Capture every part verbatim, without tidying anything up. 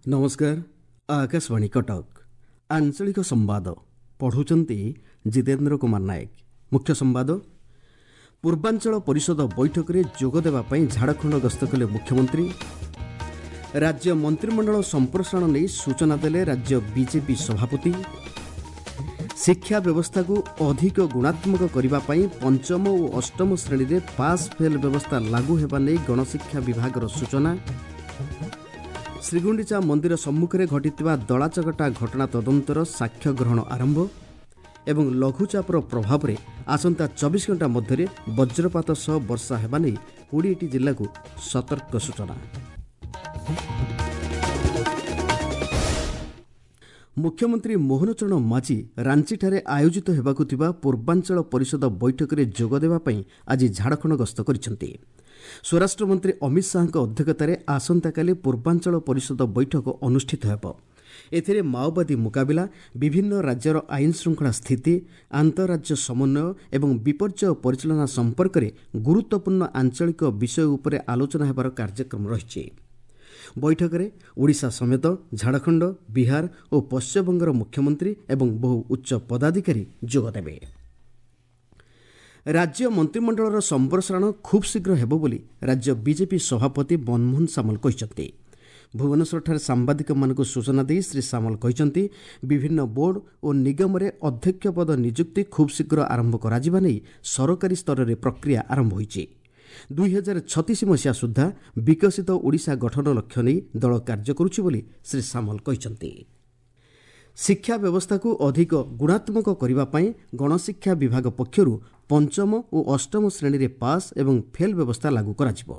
ନମସ୍କାର, ଆକାଶବାଣୀ କଟକ। ଆଞ୍ଚଳିକ ସମ୍ବାଦ ପଢ଼ୁଛନ୍ତି ଜିତେନ୍ଦ୍ର କୁମାର ନାୟକ। ମୁଖ୍ୟ ସମ୍ବାଦ। ପୂର୍ବାଞ୍ଚଳ ପରିଷଦ ବୈଠକରେ ଯୋଗ ଦେବା ପାଇଁ ଝାଡ଼ଖଣ୍ଡ ଗସ୍ତ କଲେ ମୁଖ୍ୟମନ୍ତ୍ରୀ। ରାଜ୍ୟ ମନ୍ତ୍ରିମଣ୍ଡଳ ସମ୍ପ୍ରସାରଣ ନେଇ ସୂଚନା ଦେଲେ ରାଜ୍ୟ ବିଜେପି ସଭାପତି। ଶିକ୍ଷା ବ୍ୟବସ୍ଥାକୁ ଅଧିକ ଗୁଣାତ୍ମକ କରିବା ପାଇଁ ପଞ୍ଚମ ଓ ଅଷ୍ଟମ ଶ୍ରେଣୀରେ ପାସ୍ ଫେଲ୍ ବ୍ୟବସ୍ଥା ଲାଗୁ ହେବା ନେଇ ଗଣଶିକ୍ଷା ବିଭାଗର ସୂଚନା। ଶ୍ରୀଗୁଣ୍ଡିଚା ମନ୍ଦିର ସମ୍ମୁଖରେ ଘଟିଥିବା ଦଳାଚକଟା ଘଟଣା ତଦନ୍ତର ସାକ୍ଷ୍ୟ ଗ୍ରହଣ ଆରମ୍ଭ ଏବଂ ଲଘୁଚାପର ପ୍ରଭାବରେ ଆସନ୍ତା ଚବିଶ ଘଣ୍ଟା ମଧ୍ୟରେ ବଜ୍ରପାତ ସହ ବର୍ଷା ହେବା ନେଇ କୋଡ଼ିଏଟି ଜିଲ୍ଲାକୁ ସତର୍କ ସୂଚନା। ମୁଖ୍ୟମନ୍ତ୍ରୀ ମୋହନ ଚରଣ ମାଝୀ ରାଞ୍ଚିଠାରେ ଆୟୋଜିତ ହେବାକୁ ଥିବା ପୂର୍ବାଞ୍ଚଳ ପରିଷଦ ବୈଠକରେ ଯୋଗ ଦେବା ପାଇଁ ଆଜି ଝାଡ଼ଖଣ୍ଡ ଗସ୍ତ କରିଛନ୍ତି। ସ୍ୱରାଷ୍ଟ୍ରମନ୍ତ୍ରୀ ଅମିତ ଶାହାଙ୍କ ଅଧ୍ୟକ୍ଷତାରେ ଆସନ୍ତାକାଲି ପୂର୍ବାଞ୍ଚଳ ପରିଷଦ ବୈଠକ ଅନୁଷ୍ଠିତ ହେବ। ଏଥିରେ ମାଓବାଦୀ ମୁକାବିଲା, ବିଭିନ୍ନ ରାଜ୍ୟର ଆଇନ ଶୃଙ୍ଖଳା ସ୍ଥିତି, ଆନ୍ତଃରାଜ୍ୟ ସମନ୍ୱୟ ଏବଂ ବିପର୍ଯ୍ୟୟ ପରିଚାଳନା ସମ୍ପର୍କରେ ଗୁରୁତ୍ୱପୂର୍ଣ୍ଣ ଆଞ୍ଚଳିକ ବିଷୟ ଉପରେ ଆଲୋଚନା ହେବାର କାର୍ଯ୍ୟକ୍ରମ ରହିଛି। ବୈଠକରେ ଓଡ଼ିଶା ସମେତ ଝାଡ଼ଖଣ୍ଡ, ବିହାର ଓ ପଶ୍ଚିମବଙ୍ଗର ମୁଖ୍ୟମନ୍ତ୍ରୀ ଏବଂ ବହୁ ଉଚ୍ଚ ପଦାଧିକାରୀ ଯୋଗଦେବେ। ରାଜ୍ୟ ମନ୍ତ୍ରିମଣ୍ଡଳର ସମ୍ପ୍ରସାରଣ ଖୁବ୍ ଶୀଘ୍ର ହେବ ବୋଲି ରାଜ୍ୟ ବିଜେପି ସଭାପତି ମନମୋହନ ସାମଲ କହିଛନ୍ତି। ଭୁବନେଶ୍ୱରଠାରେ ସାମ୍ବାଦିକମାନଙ୍କୁ ସୂଚନା ଦେଇ ଶ୍ରୀ ସାମଲ କହିଛନ୍ତି, ବିଭିନ୍ନ ବୋର୍ଡ ଓ ନିଗମରେ ଅଧ୍ୟକ୍ଷ ପଦ ନିଯୁକ୍ତି ଖୁବ୍ ଶୀଘ୍ର ଆରମ୍ଭ କରାଯିବା ନେଇ ସରକାରୀ ସ୍ତରରେ ପ୍ରକ୍ରିୟା ଆରମ୍ଭ ହୋଇଛି। ଦୁଇ ହଜାର ଛତିଶ ମସିହା ସୁଦ୍ଧା ବିକଶିତ ଓଡ଼ିଶା ଗଠନ ଲକ୍ଷ୍ୟ ନେଇ ଦଳ କାର୍ଯ୍ୟ କରୁଛି ବୋଲି ଶ୍ରୀ ସାମଲ କହିଛନ୍ତି। ଶିକ୍ଷା ବ୍ୟବସ୍ଥାକୁ ଅଧିକ ଗୁଣାତ୍ମକ କରିବା ପାଇଁ ଗଣଶିକ୍ଷା ବିଭାଗ ପକ୍ଷରୁ ପଞ୍ଚମ ଓ ଅଷ୍ଟମ ଶ୍ରେଣୀରେ ପାସ୍ ଏବଂ ଫେଲ୍ ବ୍ୟବସ୍ଥା ଲାଗୁ କରାଯିବ।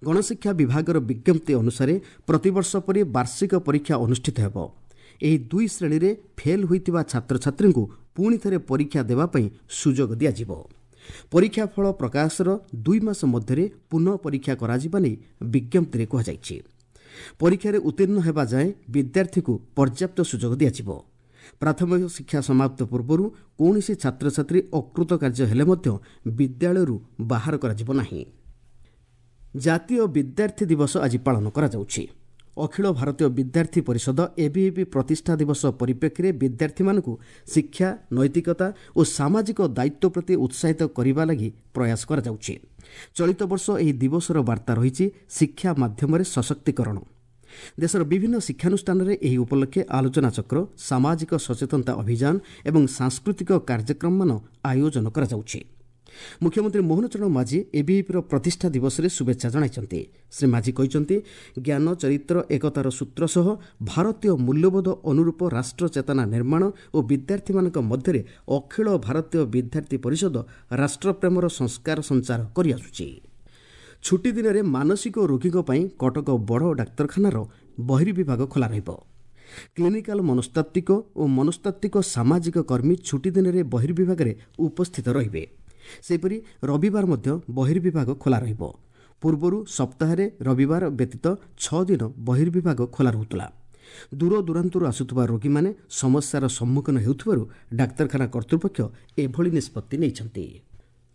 ଗଣଶିକ୍ଷା ବିଭାଗର ବିଜ୍ଞପ୍ତି ଅନୁସାରେ ପ୍ରତିବର୍ଷ ପରି ବାର୍ଷିକ ପରୀକ୍ଷା ଅନୁଷ୍ଠିତ ହେବ। ଏହି ଦୁଇ ଶ୍ରେଣୀରେ ଫେଲ୍ ହୋଇଥିବା ଛାତ୍ରଛାତ୍ରୀଙ୍କୁ ପୁଣି ଥରେ ପରୀକ୍ଷା ଦେବା ପାଇଁ ସୁଯୋଗ ଦିଆଯିବ। ପରୀକ୍ଷା ଫଳ ପ୍ରକାଶର ଦୁଇ ମାସ ମଧ୍ୟରେ ପୁନଃ ପରୀକ୍ଷା କରାଯିବା ନେଇ ବିଜ୍ଞପ୍ତିରେ କୁହାଯାଇଛି। ପରୀକ୍ଷାରେ ଉତ୍ତୀର୍ଣ୍ଣ ହେବା ଯାଏଁ ବିଦ୍ୟାର୍ଥୀକୁ ପର୍ଯ୍ୟାପ୍ତ ସୁଯୋଗ ଦିଆଯିବ। ପ୍ରାଥମିକ ଶିକ୍ଷା ସମାପ୍ତ ପୂର୍ବରୁ କୌଣସି ଛାତ୍ରଛାତ୍ରୀ ଅକୃତକାର୍ଯ୍ୟ ହେଲେ ମଧ୍ୟ ବିଦ୍ୟାଳୟରୁ ବାହାର କରାଯିବ ନାହିଁ। ଜାତୀୟ ବିଦ୍ୟାର୍ଥୀ ଦିବସ ଆଜି ପାଳନ କରାଯାଉଛି। ଅଖିଳ ଭାରତୀୟ ବିଦ୍ୟାର୍ଥୀ ପରିଷଦ ଏବିଭିପି ପ୍ରତିଷ୍ଠା ଦିବସ ପରିପ୍ରେକ୍ଷୀରେ ବିଦ୍ୟାର୍ଥୀମାନଙ୍କୁ ଶିକ୍ଷା, ନୈତିକତା ଓ ସାମାଜିକ ଦାୟିତ୍ୱ ପ୍ରତି ଉତ୍ସାହିତ କରିବା ଲାଗି ପ୍ରୟାସ କରାଯାଉଛି। ଚଳିତ ବର୍ଷ ଏହି ଦିବସର ବାର୍ତ୍ତା ରହିଛି ଶିକ୍ଷା ମାଧ୍ୟମରେ ସଶକ୍ତିକରଣ। ଦେଶର ବିଭିନ୍ନ ଶିକ୍ଷାନୁଷ୍ଠାନରେ ଏହି ଉପଲକ୍ଷେ ଆଲୋଚନାଚକ୍ର, ସାମାଜିକ ସଚେତନତା ଅଭିଯାନ ଏବଂ ସାଂସ୍କୃତିକ କାର୍ଯ୍ୟକ୍ରମମାନ ଆୟୋଜନ କରାଯାଉଛି। ମୁଖ୍ୟମନ୍ତ୍ରୀ ମୋହନ ଚରଣ ମାଝୀ ଏବିଭିପିର ପ୍ରତିଷ୍ଠା ଦିବସରେ ଶୁଭେଚ୍ଛା ଜଣାଇଛନ୍ତି। ଶ୍ରୀ ମାଝୀ କହିଛନ୍ତି, ଜ୍ଞାନ, ଚରିତ୍ର, ଏକତାର ସୂତ୍ର ସହ ଭାରତୀୟ ମୂଲ୍ୟବୋଧ ଅନୁରୂପ ରାଷ୍ଟ୍ର ଚେତନା ନିର୍ମାଣ ଓ ବିଦ୍ୟାର୍ଥୀମାନଙ୍କ ମଧ୍ୟରେ ଅଖିଳ ଭାରତୀୟ ବିଦ୍ୟାର୍ଥୀ ପରିଷଦ ରାଷ୍ଟ୍ରପ୍ରେମର ସଂସ୍କାର ସଞ୍ଚାର କରିଆସୁଛି। ଛୁଟିଦିନରେ ମାନସିକ ରୋଗୀଙ୍କ ପାଇଁ କଟକ ବଡ଼ ଡାକ୍ତରଖାନାର ବହିର୍ବିଭାଗ ଖୋଲା ରହିବ। କ୍ଲିନିକାଲ ମନସ୍ତାତ୍ତ୍ୱିକ ଓ ମନସ୍ତାତ୍ତ୍ୱିକ ସାମାଜିକ କର୍ମୀ ଛୁଟିଦିନରେ ବହିର୍ବିଭାଗରେ ଉପସ୍ଥିତ ରହିବେ। ସେହିପରି ରବିବାର ମଧ୍ୟ ବହିର୍ବିଭାଗ ଖୋଲା ରହିବ। ପୂର୍ବରୁ ସପ୍ତାହରେ ରବିବାର ବ୍ୟତୀତ ଛଅ ଦିନ ବହିର୍ବିଭାଗ ଖୋଲା ରହୁଥିଲା। ଦୂରଦୂରାନ୍ତରୁ ଆସୁଥିବା ରୋଗୀମାନେ ସମସ୍ୟାର ସମ୍ମୁଖୀନ ହେଉଥିବାରୁ ଡାକ୍ତରଖାନା କର୍ତ୍ତୃପକ୍ଷ ଏଭଳି ନିଷ୍ପତ୍ତି ନେଇଛନ୍ତି।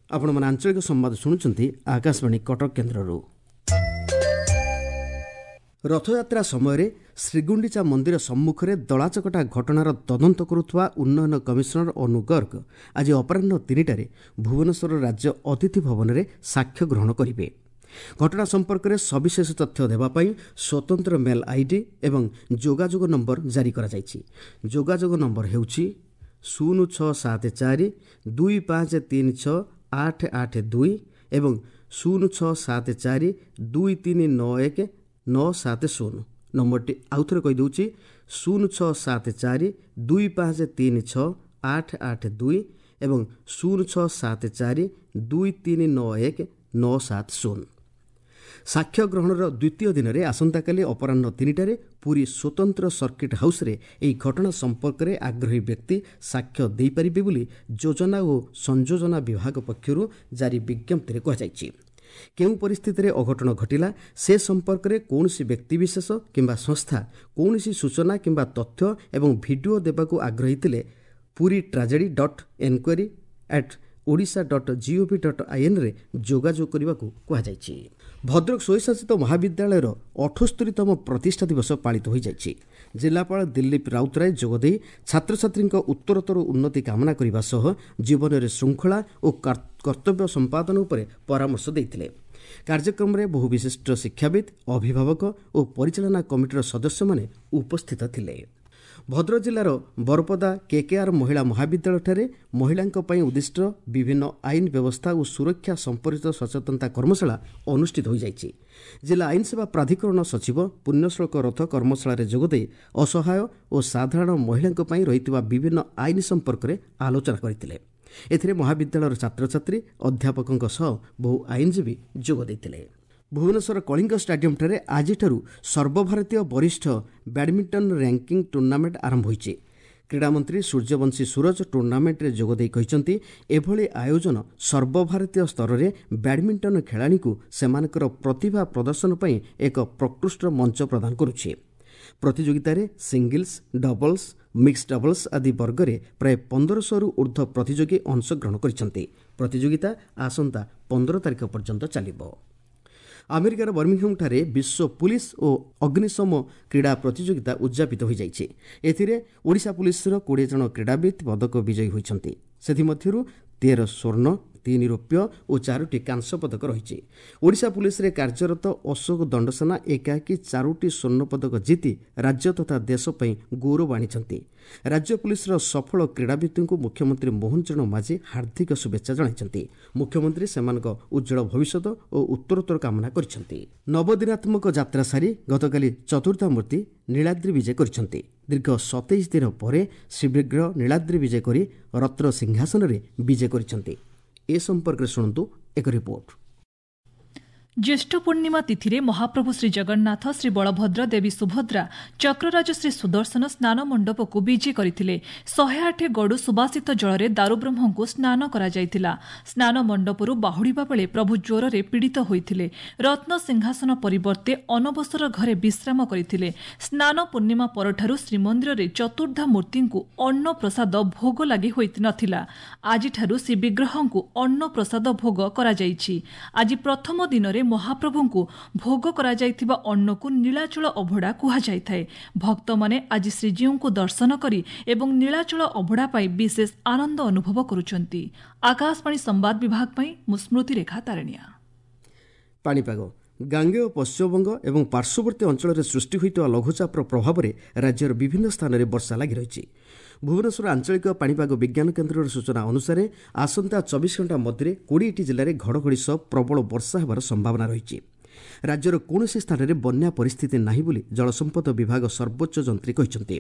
ଆପଣମାନେ ଆଞ୍ଚଳିକ ସମ୍ବାଦ ଶୁଣୁଛନ୍ତି ଆକାଶବାଣୀ କଟକ କେନ୍ଦ୍ରରୁ। ରଥଯାତ୍ରା ସମୟରେ ଶ୍ରୀଗୁଣ୍ଡିଚା ମନ୍ଦିର ସମ୍ମୁଖରେ ଦଳାଚକଟା ଘଟଣାର ତଦନ୍ତ କରୁଥିବା ଉନ୍ନୟନ କମିଶନର ଅନୁ ଗର୍ଗ ଆଜି ଅପରାହ୍ନ ତିନିଟାରେ ଭୁବନେଶ୍ୱର ରାଜ୍ୟ ଅତିଥି ଭବନରେ ସାକ୍ଷ୍ୟ ଗ୍ରହଣ କରିବେ। ଘଟଣା ସମ୍ପର୍କରେ ସବିଶେଷ ତଥ୍ୟ ଦେବା ପାଇଁ ସ୍ୱତନ୍ତ୍ର ମେଲ୍ ଆଇଡି ଏବଂ ଯୋଗାଯୋଗ ନମ୍ବର ଜାରି କରାଯାଇଛି। ଯୋଗାଯୋଗ ନମ୍ବର ହେଉଛି ଶୂନ ଛଅ ସାତ ଚାରି ଦୁଇ ପାଞ୍ଚ ତିନି ଛଅ ଆଠ ଆଠ ଦୁଇ ଏବଂ ଶୂନ ଛଅ ସାତ ଚାରି ଦୁଇ ତିନି ନଅ ଏକ ନଅ ସାତ ଶୂନ। ନମ୍ବରଟି ଆଉଥରେ କହିଦେଉଛି, ଶୂନ ଛଅ ସାତ ଚାରି ଦୁଇ ପାଞ୍ଚ ତିନି ଛଅ ଆଠ ଆଠ ଦୁଇ ଏବଂ ଶୂନ ଛଅ ସାତ ଚାରି ଦୁଇ ତିନି ନଅ ଏକ ନଅ ସାତ ଶୂନ। ସାକ୍ଷ୍ୟ ଗ୍ରହଣର ଦ୍ୱିତୀୟ ଦିନରେ ଆସନ୍ତାକାଲି ଅପରାହ୍ନ ତିନିଟାରେ ପୁରୀ ସ୍ୱତନ୍ତ୍ର ସର୍କିଟ୍ ହାଉସ୍ରେ ଏହି ଘଟଣା ସମ୍ପର୍କରେ ଆଗ୍ରହୀ ବ୍ୟକ୍ତି ସାକ୍ଷ୍ୟ ଦେଇପାରିବେ ବୋଲି ଯୋଜନା ଓ ସଂଯୋଜନା ବିଭାଗ ପକ୍ଷରୁ ଜାରି ବିଜ୍ଞପ୍ତିରେ କୁହାଯାଇଛି। କେଉଁ ପରିସ୍ଥିତିରେ ଅଘଟଣ ଘଟିଲା ସେ ସମ୍ପର୍କରେ କୌଣସି ବ୍ୟକ୍ତିବିଶେଷ କିମ୍ବା ସଂସ୍ଥା କୌଣସି ସୂଚନା କିମ୍ବା ତଥ୍ୟ ଏବଂ ଭିଡିଓ ଦେବାକୁ ଆଗ୍ରହୀ ଥିଲେ Puri tragedy dot enquiry at Odisha dot gov dot ଆଇଏନ୍ରେ ଯୋଗାଯୋଗ କରିବାକୁ କୁହାଯାଇଛି। ଭଦ୍ରକ ସ୍ୱୟଂଶାସିତ ମହାବିଦ୍ୟାଳୟର ଅଠସ୍ତରୀତମ ପ୍ରତିଷ୍ଠା ଦିବସ ପାଳିତ ହୋଇଯାଇଛି। ଜିଲ୍ଲାପାଳ ଦିଲ୍ଲୀପ ରାଉତରାୟ ଯୋଗଦେଇ ଛାତ୍ରଛାତ୍ରୀଙ୍କ ଉତ୍ତରୋତ୍ତର ଉନ୍ନତି କାମନା କରିବା ସହ ଜୀବନରେ ଶୃଙ୍ଖଳା ଓ କର୍ତ୍ତବ୍ୟ ସମ୍ପାଦନ ଉପରେ ପରାମର୍ଶ ଦେଇଥିଲେ। କାର୍ଯ୍ୟକ୍ରମରେ ବହୁ ବିଶିଷ୍ଟ ଶିକ୍ଷାବିତ୍, ଅଭିଭାବକ ଓ ପରିଚାଳନା କମିଟିର ସଦସ୍ୟମାନେ ଉପସ୍ଥିତ ଥିଲେ। ଭଦ୍ରକ ଜିଲ୍ଲାର ବରପଦା କେକେଆର୍ ମହିଳା ମହାବିଦ୍ୟାଳୟଠାରେ ମହିଳାଙ୍କ ପାଇଁ ଉଦ୍ଦିଷ୍ଟ ବିଭିନ୍ନ ଆଇନ ବ୍ୟବସ୍ଥା ଓ ସୁରକ୍ଷା ସମ୍ପର୍କିତ ସଚେତନତା କର୍ମଶାଳା ଅନୁଷ୍ଠିତ ହୋଇଯାଇଛି। ଜିଲ୍ଲା ଆଇନସେବା ପ୍ରାଧିକରଣ ସଚିବ ପୁଣ୍ୟଶ୍ଳୋକ ରଥ କର୍ମଶାଳାରେ ଯୋଗଦେଇ ଅସହାୟ ଓ ସାଧାରଣ ମହିଳାଙ୍କ ପାଇଁ ରହିଥିବା ବିଭିନ୍ନ ଆଇନ ସମ୍ପର୍କରେ ଆଲୋଚନା କରିଥିଲେ। ଏଥିରେ ମହାବିଦ୍ୟାଳୟର ଛାତ୍ରଛାତ୍ରୀ, ଅଧ୍ୟାପକଙ୍କ ସହ ବହୁ ଆଇନଜୀବୀ ଯୋଗ ଦେଇଥିଲେ। ଭୁବନେଶ୍ୱର କଳିଙ୍ଗ ଷ୍ଟାଡିୟମ୍ଠାରେ ଆଜିଠାରୁ ସର୍ବଭାରତୀୟ ବରିଷ୍ଠ ବ୍ୟାଡମିଣ୍ଟନ ର୍ୟାଙ୍କିଂ ଟୁର୍ଣ୍ଣାମେଣ୍ଟ ଆରମ୍ଭ ହୋଇଛି। କ୍ରୀଡ଼ାମନ୍ତ୍ରୀ ସୂର୍ଯ୍ୟବଂଶୀ ସୂରଜ ଟୁର୍ଣ୍ଣାମେଣ୍ଟରେ ଯୋଗଦେଇ କହିଛନ୍ତି, ଏଭଳି ଆୟୋଜନ ସର୍ବଭାରତୀୟ ସ୍ତରରେ ବ୍ୟାଡମିଣ୍ଟନ ଖେଳାଳିଙ୍କୁ ସେମାନଙ୍କର ପ୍ରତିଭା ପ୍ରଦର୍ଶନ ପାଇଁ ଏକ ପ୍ରକୃଷ୍ଟ ମଞ୍ଚ ପ୍ରଦାନ କରୁଛି। ପ୍ରତିଯୋଗିତାରେ ସିଙ୍ଗଲ୍ସ, ଡବଲ୍ସ, ମିକ୍ସ ଡବଲ୍ସ ଆଦି ବର୍ଗରେ ପ୍ରାୟ ପନ୍ଦରଶହରୁ ଉର୍ଦ୍ଧ୍ୱ ପ୍ରତିଯୋଗୀ ଅଂଶଗ୍ରହଣ କରିଛନ୍ତି। ପ୍ରତିଯୋଗିତା ଆସନ୍ତା ପନ୍ଦର ତାରିଖ ପର୍ଯ୍ୟନ୍ତ ଚାଲିବ। ଆମେରିକାର ବର୍ମିଂହାମଠାରେ ବିଶ୍ୱ ପୁଲିସ୍ ଓ ଅଗ୍ନିଶମ କ୍ରୀଡ଼ା ପ୍ରତିଯୋଗିତା ଉଦ୍ଯାପିତ ହୋଇଯାଇଛି। ଏଥିରେ ଓଡ଼ିଶା ପୁଲିସ୍ର କୋଡ଼ିଏ ଜଣ କ୍ରୀଡ଼ାବିତ୍ ପଦକ ବିଜୟୀ ହୋଇଛନ୍ତି। ସେଥିମଧ୍ୟରୁ ତେର ସ୍ୱର୍ଣ୍ଣ, ତିନି ରୌପ୍ୟ ଓ ଚାରୋଟି କାଂସ୍ୟ ପଦକ ରହିଛି। ଓଡ଼ିଶା ପୁଲିସ୍ରେ କାର୍ଯ୍ୟରତ ଅଶୋକ ଦଣ୍ଡସେନା ଏକାକୀ ଚାରୋଟି ସ୍ୱର୍ଣ୍ଣ ପଦକ ଜିତି ରାଜ୍ୟ ତଥା ଦେଶ ପାଇଁ ଗୌରବ ଆଣିଛନ୍ତି। ରାଜ୍ୟ ପୁଲିସ୍ର ସଫଳ କ୍ରୀଡ଼ାବିତ୍ଙ୍କୁ ମୁଖ୍ୟମନ୍ତ୍ରୀ ମୋହନ ଚରଣ ମାଝୀ ହାର୍ଦ୍ଦିକ ଶୁଭେଚ୍ଛା ଜଣାଇଛନ୍ତି। ମୁଖ୍ୟମନ୍ତ୍ରୀ ସେମାନଙ୍କ ଉଜ୍ଜ୍ୱଳ ଭବିଷ୍ୟତ ଓ ଉତ୍ତରୋତ୍ତର କାମନା କରିଛନ୍ତି। ନବଦିନାତ୍ମକ ଯାତ୍ରା ସାରି ଗତକାଲି ଚତୁର୍ଦ୍ଧାମୂର୍ତ୍ତି ନୀଳାଦ୍ରି ବିଜେ କରିଛନ୍ତି। ଦୀର୍ଘ ସତେଇଶ ଦିନ ପରେ ଶ୍ରୀବିଗ୍ରହ ନୀଳାଦ୍ରି ବିଜେ କରି ରତ୍ନ ସିଂହାସନରେ ବିଜେ କରିଛନ୍ତି। ଏ ସମ୍ପର୍କରେ ଶୁଣନ୍ତୁ ଏକ ରିପୋର୍ଟ। ଜ୍ୟେଷ୍ଠ ପୂର୍ଣ୍ଣିମା ତିଥିରେ ମହାପ୍ରଭୁ ଶ୍ରୀଜଗନ୍ନାଥ, ଶ୍ରୀ ବଳଭଦ୍ର, ଦେବୀ ସୁଭଦ୍ରା, ଚକ୍ରରାଜ ଶ୍ରୀ ସୁଦର୍ଶନ ସ୍ନାନ ମଣ୍ଡପକୁ ବିଜେ କରିଥିଲେ। ଶହେ ଆଠ ଗଡୁ ସୁବାସିତ ଜଳରେ ଦାରୁବ୍ରହ୍ମଙ୍କୁ ସ୍ନାନ କରାଯାଇଥିଲା। ସ୍ନାନ ମଣ୍ଡପରୁ ବାହୁଡ଼ିବା ବେଳେ ପ୍ରଭୁ ଜ୍ୱରରେ ପୀଡ଼ିତ ହୋଇଥିଲେ। ରତ୍ନ ସିଂହାସନ ପରିବର୍ତ୍ତେ ଅନବସର ଘରେ ବିଶ୍ରାମ କରିଥିଲେ। ସ୍ନାନ ପୂର୍ଣ୍ଣିମା ପରଠାରୁ ଶ୍ରୀମନ୍ଦିରରେ ଚତୁର୍ଦ୍ଧା ମୂର୍ତ୍ତିଙ୍କୁ ଅନ୍ନପ୍ରସାଦ ଭୋଗ ଲାଗି ହୋଇନଥିଲା। ଆଜିଠାରୁ ଶ୍ରୀବିଗ୍ରହଙ୍କୁ ଅନ୍ନପ୍ରସାଦ ଭୋଗ କରାଯାଇଛି। ଆଜି ପ୍ରଥମ ଦିନରେ ମହାପ୍ରଭୁଙ୍କୁ ଭୋଗ କରାଯାଇଥିବା ଅନ୍ନକୁ ନୀଳାଚଳ ଅଭଡ଼ା କୁହାଯାଇଥାଏ। ଭକ୍ତମାନେ ଆଜି ଶ୍ରୀଜୀଉଙ୍କୁ ଦର୍ଶନ କରି ଏବଂ ନୀଳାଚଳ ଅଭଡ଼ା ପାଇ ବିଶେଷ ଆନନ୍ଦ ଅନୁଭବ କରୁଛନ୍ତି। ଆକାଶବାଣୀ ସମ୍ବାଦ ବିଭାଗ ପାଇଁ ମୁଁ ସ୍ମୃତିରେଖା ତାରଣିଆ। ପାଣିପାଗ। ଗାଙ୍ଗେୟ ପଶ୍ଚିମବଙ୍ଗ ଏବଂ ପାର୍ଶ୍ୱବର୍ତ୍ତୀ ଅଞ୍ଚଳରେ ସୃଷ୍ଟି ହୋଇଥିବା ଲଘୁଚାପର ପ୍ରଭାବରେ ରାଜ୍ୟର ବିଭିନ୍ନ ସ୍ଥାନରେ ବର୍ଷା ଲାଗି ରହିଛି। ଭୁବନେଶ୍ୱର ଆଞ୍ଚଳିକ ପାଣିପାଗ ବିଜ୍ଞାନ କେନ୍ଦ୍ରର ସୂଚନା ଅନୁସାରେ ଆସନ୍ତା ଚବିଶ ଘଣ୍ଟା ମଧ୍ୟରେ କୋଡ଼ିଏଟି ଜିଲ୍ଲାରେ ଘଡ଼ଘଡ଼ି ସହ ପ୍ରବଳ ବର୍ଷା ହେବାର ସମ୍ଭାବନା ରହିଛି। ରାଜ୍ୟର କୌଣସି ସ୍ଥାନରେ ବନ୍ୟା ପରିସ୍ଥିତି ନାହିଁ ବୋଲି ଜଳସମ୍ପଦ ବିଭାଗ ସର୍ବୋଚ୍ଚ ଯନ୍ତ୍ରୀ କହିଛନ୍ତି।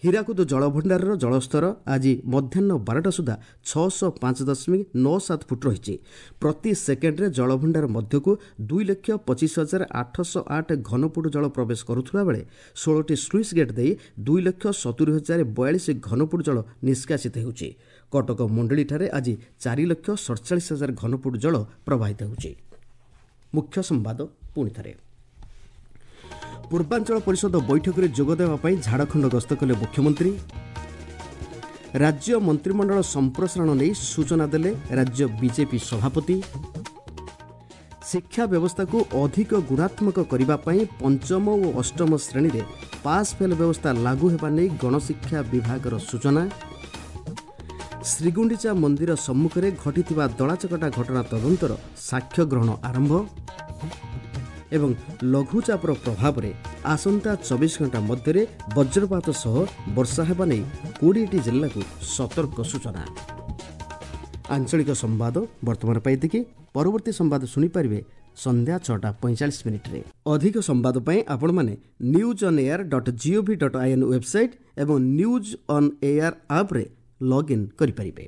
ହୀରାକୁଦ ଜଳଭଣ୍ଡାରର ଜଳସ୍ତର ଆଜି ମଧ୍ୟାହ୍ନ ବାରଟା ସୁଦ୍ଧା ଛଅଶହ ପାଞ୍ଚ ଦଶମିକ ନଅ ସାତ ଫୁଟ ରହିଛି। ପ୍ରତି ସେକେଣ୍ଡରେ ଜଳଭଣ୍ଡାର ମଧ୍ୟକୁ ଦୁଇ ଲକ୍ଷ ପଚିଶ ହଜାର ଆଠଶହ ଆଠ ଘନଫୁଟ ଜଳ ପ୍ରବେଶ କରୁଥିବା ବେଳେ ଷୋହଳଟି ସ୍ଲୁଇସ୍ ଗେଟ୍ ଦେଇ ଦୁଇ ଲକ୍ଷ ସତୁରି ହଜାର ବୟାଳିଶ ଘନଫୁଟ ଜଳ ନିଷ୍କାସିତ ହେଉଛି। କଟକ ମୁଣ୍ଡଳିଠାରେ ଆଜି ଚାରି ଲକ୍ଷ ସଡ଼ଚାଳିଶ ହଜାର ଘନଫୁଟ ଜଳ ପ୍ରବାହିତ ହେଉଛି। ମୁଖ୍ୟ ସମ୍ବାଦ ପୁଣି ଥରେ। ପୂର୍ବାଞ୍ଚଳ ପରିଷଦ ବୈଠକରେ ଯୋଗଦେବା ପାଇଁ ଝାଡ଼ଖଣ୍ଡ ଗସ୍ତ କଲେ ମୁଖ୍ୟମନ୍ତ୍ରୀ। ରାଜ୍ୟ ମନ୍ତ୍ରିମଣ୍ଡଳ ସମ୍ପ୍ରସାରଣ ନେଇ ସୂଚନା ଦେଲେ ରାଜ୍ୟ ବିଜେପି ସଭାପତି। ଶିକ୍ଷା ବ୍ୟବସ୍ଥାକୁ ଅଧିକ ଗୁଣାତ୍ମକ କରିବା ପାଇଁ ପଞ୍ଚମ ଓ ଅଷ୍ଟମ ଶ୍ରେଣୀରେ ପାସ୍ ଫେଲ୍ ବ୍ୟବସ୍ଥା ଲାଗୁ ହେବା ନେଇ ଗଣଶିକ୍ଷା ବିଭାଗର ସୂଚନା। ଶ୍ରୀଗୁଣ୍ଡିଚା ମନ୍ଦିର ସମ୍ମୁଖରେ ଘଟିଥିବା ଦଳାଚକଟା ଘଟଣା ତଦନ୍ତର ସାକ୍ଷ୍ୟ ଗ୍ରହଣ ଆରମ୍ଭ। ଏବଂ ଲଘୁଚାପର ପ୍ରଭାବରେ ଆସନ୍ତା ଚବିଶ ଘଣ୍ଟା ମଧ୍ୟରେ ବଜ୍ରପାତ ସହ ବର୍ଷା ହେବା ନେଇ କୋଡ଼ିଏଟି ଜିଲ୍ଲାକୁ ସତର୍କ ସୂଚନା। ଆଞ୍ଚଳିକ ସମ୍ବାଦ ବର୍ତ୍ତମାନ ପାଇଁ ଏତିକି। ପରବର୍ତ୍ତୀ ସମ୍ବାଦ ଶୁଣିପାରିବେ ସନ୍ଧ୍ୟା ଛଅଟା ପଇଁଚାଳିଶ ମିନିଟ୍ରେ। ଅଧିକ ସମ୍ବାଦ ପାଇଁ ଆପଣମାନେ news on air dot gov dot I N website ଏବଂ ନ୍ୟୁଜ୍ ଅନ୍ ଏୟାର ଆପ୍ରେ ଲଗ୍ଇନ୍ କରିପାରିବେ।